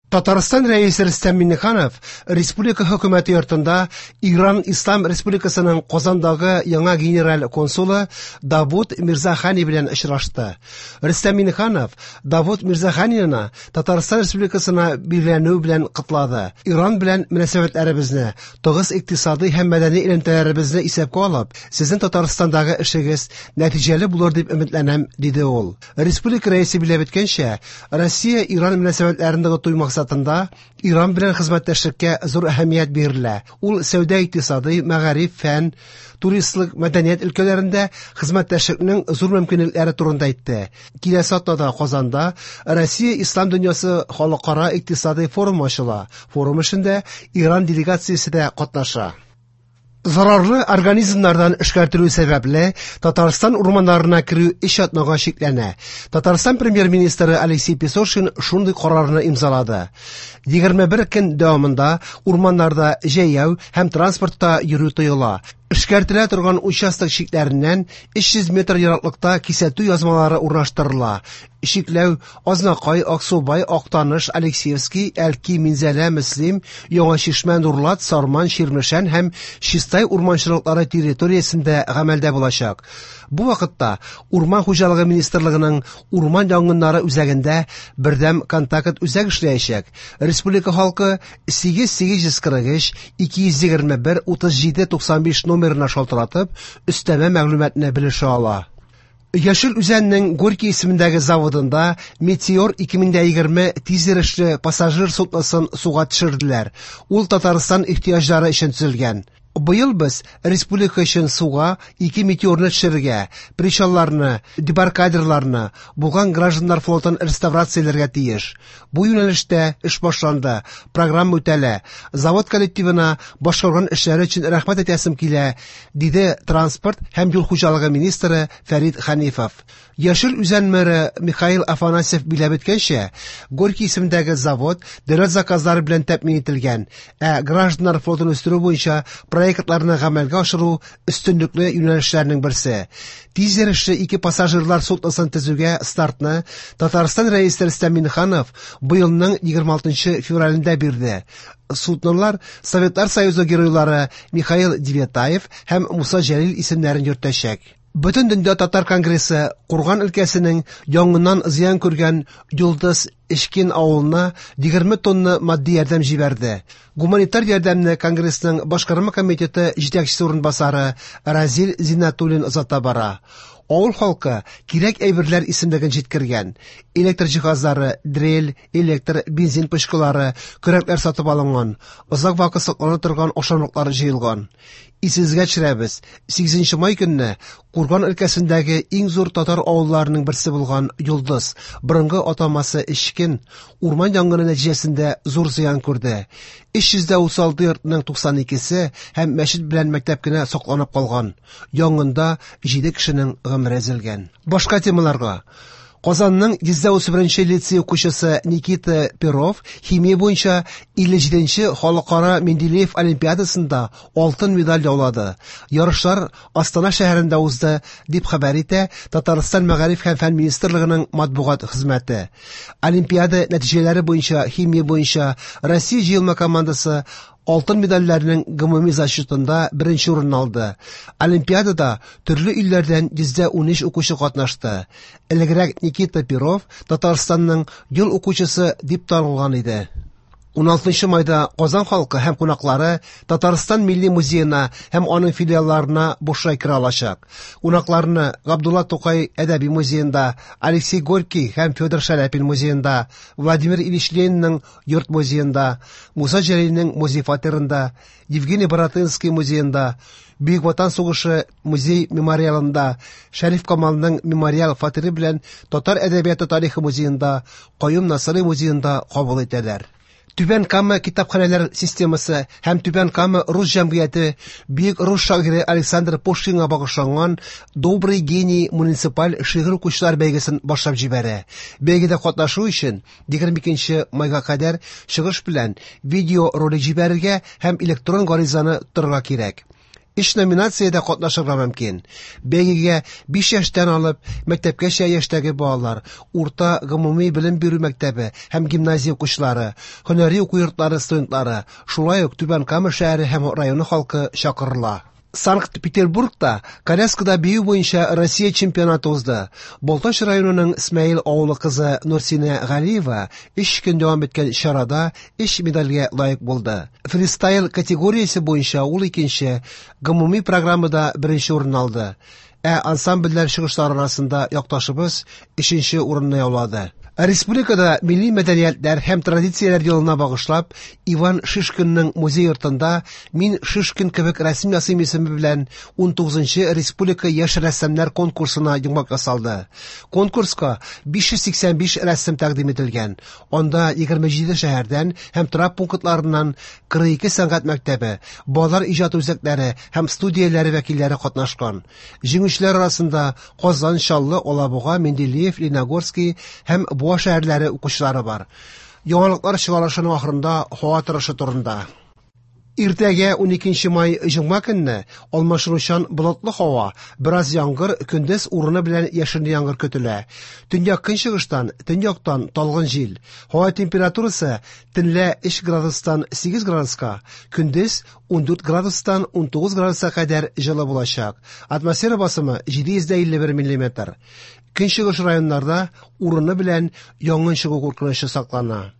Татарстан Рәисе Рөстәм Миңнеханов республика хөкүмәте йортында Иран Ислам Республикасының Казандагы яңа генераль консулы Давуд Мирзахани белән очрашты. Рөстәм Миңнеханов Давуд Мирзаханины Татарстан Республикасына билгеләнүе белән котлады. Иран белән мөнәсәбәтләребезне, тыгыз икътисадый һәм мәдәни элемтәләребезне исәпкә алып, сезнең Татарстандагы эшегез нәтиҗәле булыр дип өметләнәм, диде ул. Республика Рәисе билгеләп үткәнчә, Россия-Иран мөнәсәбәтләрен ныгыту максатында Иран белән хезмәттәшлеккә зур әһәмият бирелә. Ул сәүдә-икътисадый, мәгариф, фән, туристлык, мәдәният өлкәләрендә хезмәттәшлекнең зур мөмкинлекләре турында әйтте. Киләсе атнада Казанда Россия Ислам дөньясы халыкара икътисадый форумы ачыла. Форум эшендә Иран делегациясе дә катнаша. Зарарлы организмнардан эшкәртелү сәбәпле, Татарстан урманнарына керү өч атнага чикләнә. Татарстан премьер-министры Алексей Песошин шундый карарны имзалады. 21 көн дәвамында урманнарда җәяү һәм транспортта йөрү тыела. Эшкәртелә торган участок чикләреннән 300 метр ераклыкта кисәтү язмалары урнаштырыла. Чикләү Азнакай, Аксубай, Актаныш, Алексеевский, Әлки, Минзәлә, Мөслим, Яңа Чишмә, Нурлат, Сарман, Чирмешән һәм Чистай урманчылыклары территориясендә гамәлдә булачак. Бу вакытта Урман хуҗалыгы министрлыгының урман янгыннары үзәгендә бердәм контакт үзәк эшләячәк. Республика халкы 8843 221 37 95 номерына шалтыратып, өстәмә мәгълүматны белешә ала. Яшел Үзәннең Горький исемендәге заводында Метеор 2020 тизйөрешле пассажир судносын суга төшерделәр. Ул Татарстан ихтыяҗлары өчен төзелгән. Быел без республика өчен суга ике метеорны төшерергә, причалларны, дебаркадерларны, булган гражданнар флотын реставрацияләргә тиеш. Бу юнәлештә эш башланды, программа үтәлә. Завод коллективына башкарган эшләре өчен рәхмәт әйтәсем килә, диде транспорт һәм юл хуҗалыгы министры Фәрит Хәнифов. Яшел Үзән мэры Михаил Афанасьев биләп үткәнчә, Горький исемендәге завод дәүләт заказлары белән тәэмин ителгән, ә гражданнар флотын үстерү буенча проектларны гамәлгә ашыру өстенлекле юнәлешләрнең берсе. Тиз йөрешле ике пассажирлар судносын төзүгә стартны Татарстан Рәисе Рөстәм Миңнеханов быелның 26 февралендә бирде. Суднолар Советлар Союзы геройлары Михаил Девятаев һәм Муса Җәлил исемнәрен йөртәчәк. Бөтендөнья татар конгрессы Курган өлкәсенең янгыннан зыян күргән Йолдыз Эчкин авылына 20 тонна матди ярдәм җибәрде. Гуманитар ярдәмне конгрессның башкарма комитеты җитәкчесе урынбасары Разил Зиннәтуллин озата бара. Авыл халкы кирәк әйберләр исемлеген җиткергән. Электр җиһазлары, дрель, электр, бензин пычкылары, көрәкләр сатып алынган, озак вакыт саклана торган ашамлыклар җыелган. Исегезгә төшерәбез, 8 май көнне Курган өлкәсендәге иң зур татар авылларының берсе булган Йолдыз, борынгы атамасы Эчкен, урман янгыны нәтиҗәсендә зур зыян күрде. 336 йортның 92-се һәм мәчет белән мәктәп кенә сакланып калган. Янгында 7 кешенең гомере өзелгән. Башка темаларга. Казанның 131 лицей укучысы Никита Перов химия буенча 57нче халыкара Менделеев олимпиадасында алтын медаль яулады. Ярышлар Астана шәһәрендә узды, дип хәбәр итә Татарстан мәгариф һәм фән министрлыгының матбугат хезмәте. Олимпиада нәтиҗәләре буенча химия буенча Россия җыелма командасы алтын медальләрнең гомуми зачетында беренче урын алды. Олимпиадада төрле илләрдән 113 укучы катнашты. Элегрәк Никита Перов Татарстанның ел укучысы дип танылган иде. 16 майда Казан халкы һәм кунаклары Татарстан Милли музеена һәм аның филиалларына бушлай керә алачак. Кунакларны Габдулла Тукай әдәби музеенда, Алексей Горький һәм Федор Шаляпин музеенда, Владимир Ильич Ленинның йорт музеенда, Муса Җәлилнең музей фатирында, Евгений Баратынский музеенда, Бөек Ватан сугышы музей мемориалында, Шәриф Камалның мемориал фатиры белән Татар әдәбияты тарихы музеенда, Каюм Насыйри музеенда кабул итәләр. Түбән Кама китапханәләр системасы һәм Түбән Кама рус җәмгыяте бөек рус шагыйре Александр Пушкинга багышланган Добрый гений муниципаль шигырь укучылар бәйгесен башлап җибәрә. Бәйгедә катнашу өчен 22 майга кадәр чыгыш белән видеоролик җибәрергә һәм электрон гаризаны тотарга кирәк. Өч номинациядә катнашырга мөмкин. Бәйгегә 5 яшьтән алып мәктәпкәчә яшьтәге балалар, урта гомуми белем бирү мәктәбе һәм гимназия укучылары, һөнәри уку йортлары студентлары, шулай ук Түбән Кама шәһәре һәм районы халкы чакырыла. Санкт-Петербургта коляскада бию буенча Россия чемпионаты узды. Балтач районының Смәел авылы кызы Нурсинә Галиева 3 көн дәвам иткән чарада 3 медальгә лаек булды. Фристайл категориясе буенча ул икенче, гомуми программада беренче урын алды. Ә ансамбльләр чыгышлары арасында якташыбыз өченче урынны яулады. Республикада милли мәдәниятләр һәм традицияләр елына багышлап, Иван Шишкинның музей йортында «Мин Шишкин кебек рәсем ясыйм» исеме белән 19-нчы республика яшь рәссамнар конкурсына йомгак ясалды. Конкурска 585 рәсем тәкъдим ителгән. Анда 27 шәһәрдән һәм торак пунктларыннан 42 сәнгать мәктәбе, балалар иҗат үзәкләре һәм студияләре вәкилләре катнашкан. Җиңүчеләр арасында Казан, Чаллы, Алабуга, Менделеев, Лениногорский һәм Буа шәһәрләре укучылары бар. Яңалыклар чыгарылышының ахырында һава торышы турында. Иртәгә 12 май җомга көнне алмашынучан болытлы һава, бераз яңгыр, көндез урыны белән яшенле яңгыр көтелә. Төньяк көнчыгыштан, төньяктан талгын җил. Һава температурасы төнлә 3 градустан 8 градуска, көндез 14 градустан 19 градуска кадәр җылы булачак. Атмосфера басымы 751 миллиметр. Көнчыгыш районнарда урыны белән янгын чыгу куркынычы саклана.